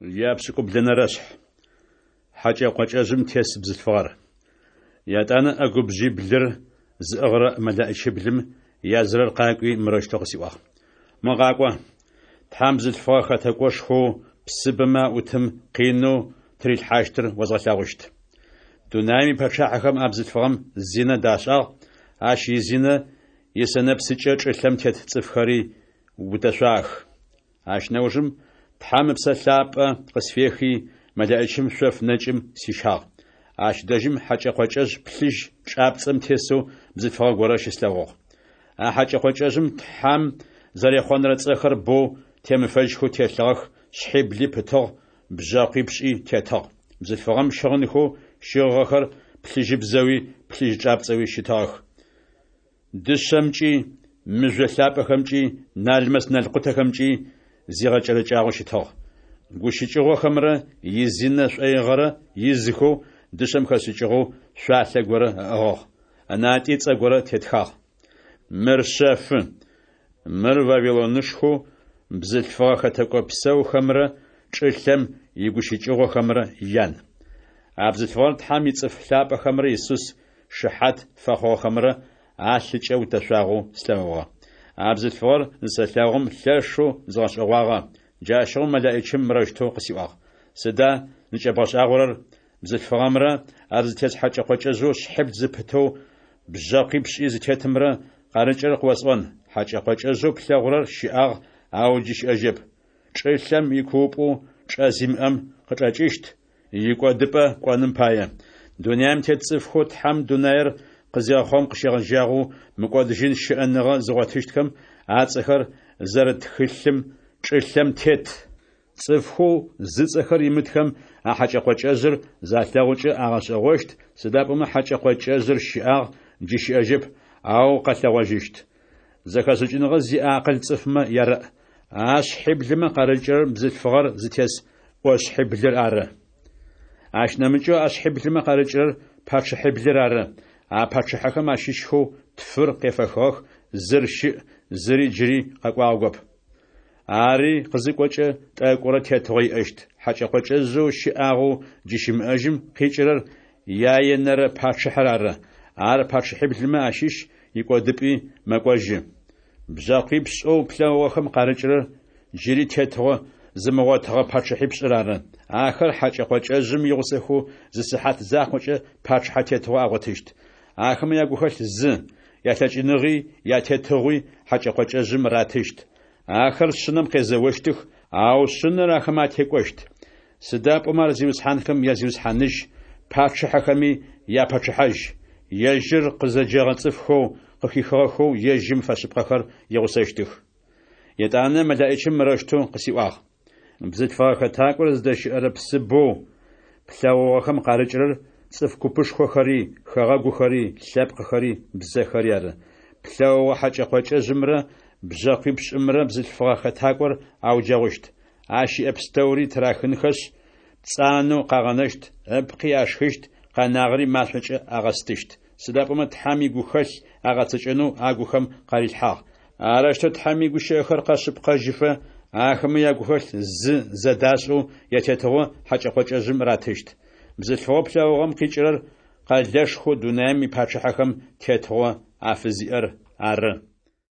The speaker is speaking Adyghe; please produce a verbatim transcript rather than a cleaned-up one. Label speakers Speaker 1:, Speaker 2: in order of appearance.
Speaker 1: Япшӏыкӏублэнэрэ шъхь. Хьакӏэ-къокӏэжъым тес бзылъфыгъэр. Етӏанэ ӏэгубжъиблыр зыӏыгъырэ мэлэӏичиблым язырэр къакӏуи, мырэущтэу къысиӏуагъ: «Мо къакӏо, Тхьэм бзылъфыгъэ хэтэкӏошхоу псыбэмэ аӏутым къинэу тырилъхьащтыр озгъэлъэгъущт. Дунаем ипэчъахьэхэм а бзылъфыгъэм зинэ дашӏагъ, ащ изинэ исэнэпсыкӏэ чӏылъэм тет цӏыфхэри утэшъуагъэх». Ащ нэужым Тхьэм Ыпсэ Лъапӏэ къысфехи, мэлэӏичым шъоф нэкӏым сищагъ. Ащ дэжьым хьэкӏэ-къокӏэжъ плъыжь чӏапцӏэм тесэу бзылъфыгъэ горэ щыслъэгъугъ. А хьэкӏэ-къокӏэжъым Тхьэм зэрехъонырэ цӏэхэр боу темыфэжьхэу телъыгъэх, шъхьибли пытыгъ, бжъэкъуипшӏи тетыгъ. Бзылъфыгъэм щыгъынхэу щыгъыгъэхэр плъыжьыбзэуи плъыжь чӏапцӏэуи щытыгъэх. Дышъэмкӏи, мыжъо лъапӏэхэмкӏи, налмэс-налкъутэхэмкӏи зигъэкӏэрэкӏагъэу щытыгъ. Гущыкӏыгъохэмрэ изинэ шӏоигъэрэ изхэу дышъэм хэшӏыкӏыгъэу шъуалъэ горэ ыӏыгъыгъ. Ынатӏи цӏэ горэ тетхагъ: «Мыр шъэфы. Мыр Вавилонышхоу бзылъфыгъэ хэтэкӏо псэухэмрэ чӏылъэм игущыкӏыгъохэмрэ ян». А бзылъфыгъэр Тхьэм ицӏыф лъапӏэхэмрэ Исус шыхьат фэхъугъэхэмрэ алъыкӏэ утэшъуагъэу слъэгъугъэ. А бзылъфыгъэр зысэлъэгъум лъэшэу згъэшӏэгъуагъэ. Джащыгъум мэлэӏичым мырэущтэу къысиӏуагъ: «Сыда зыкӏэбгъэшӏагъорэр? Бзылъфыгъэмрэ ар зытес хьэкӏэ-къокӏэжъэу шъхьибл зыпытэу бжъэкъуипшӏи зытетымрэ къарыкӏырэр къыосӏон. Хьэкӏэ-къокӏэжъэу плъэгъурэр щыӏагъ, ау джы щыӏэжьэп. Чӏылъэм икуупӏэу чӏэ зимыӏэм къычӏэкӏыщт, икӏодыпӏэ кӏоным пае. Дунаем тет цӏыфхэу Тхьэм дунаер къызегъэхъум къыщегъэжьагъэу мыкӏодыжьын щыӏэныгъэ зыгъотыщтхэм ацӏэхэр зэрыт тхылъым чӏылъэм тет цӏыфхэу зыцӏэхэр имытхэм а хьэкӏэ-къокӏэжъыр залъэгъукӏэ агъэшӏэгъощт, сыда пӏомэ хьэкӏэ-къокӏэжъыр щыӏагъ, джы щыӏэжьэп, ау къэлъэгъожьыщт. Зэхэшӏыкӏыныгъэ зиӏэ акъыл цӏыфмэ ярэӏ. А шъхьиблымэ къарыкӏырэр бзылъфыгъэр зытес ӏошъхьиблыр ары. Ащ нэмыкӏэу а шъхьиблымэ къарыкӏырэр пачъыхьиблыр ары. А пачъыхьэхэм ащыщхэу тфыр къефэхыгъэх, зыр щыӏ, зыри джыри къэкӏуагъэгоп. Ари къызыкӏокӏэ тӏэкӏурэ тетыгъо иӏэщт. Хьэкӏэ-къокӏэжъэу щыӏагъэу джы щымыӏэжьым къикӏырэр яенэрэ пачъыхьэр ары. Ар пачъыхьиблымэ ащыщ, икӏодыпӏи мэкӏожьы. Бжъэкъуипшӏэу плъэгъугъэхэм къарыкӏырэр джыри тетыгъо зымыгъотыгъэ пачъыхьипшӏыр ары. Ахэр хьэкӏэ-къокӏэжъым игъусэхэу зы сыхьат закъокӏэ пачъыхьэ тетыгъо агъотыщт. Ахэмэ ягухэлъ зы, ялъэкӏыныгъи ятетыгъуи хьэкӏэ-къокӏэжъым ратыщт. Ахэр Шъынэм къезэощтых, ау Шъынэр ахэмэ атекӏощт. Сыда пӏомэ ар зиусхьанхэм я Зиусхьаныжь, пачъыхьэхэми япачъыхьажь. Ежьыр къызэджэгъэ цӏыфхэу къыхихыгъэхэу ежьым фэшъыпкъэхэр игъусэщтых. Етӏанэ мэлэӏичым мырэущтэу къысиӏуагъ: «Бзылъфыгъэ хэтакӏор зыдэщыӏэрэ псыбэу плъэгъугъэхэм къарыкӏырэр цӏыф купышхохэри, хэгъэгухэри, лъэпкъхэри, бзэхэри ары. Плъэгъугъэ хьэкӏэ-къокӏэжъымрэ бжъэкъуипшӏымрэ бзылъфыгъэ хэтакӏор ауджэгъущт. Ащ иӏэ пстэури тырахынхэшъ, пцӏанэу къагъэнэщт, ыпкъи ашхыщт, къэнагъэри машӏокӏэ агъэстыщт. Сыда пӏомэ Тхьэм игухэлъ агъэцэкӏэнэу агухэм къарилъхьагъ. Арэущтэу Тхьэм игущыӏэхэр къэшъыпкъэжьыфэ, ахэмэ ягухэлъ зы зэдашӏэу ятетыгъо хьэкӏэ-къокӏэжъым ратыщт. Бзылъфыгъэу плъэгъугъэм къикӏырэр къэлэшхоу дунаем ипачъыхьэхэм тетыгъо афызиӏэр ары».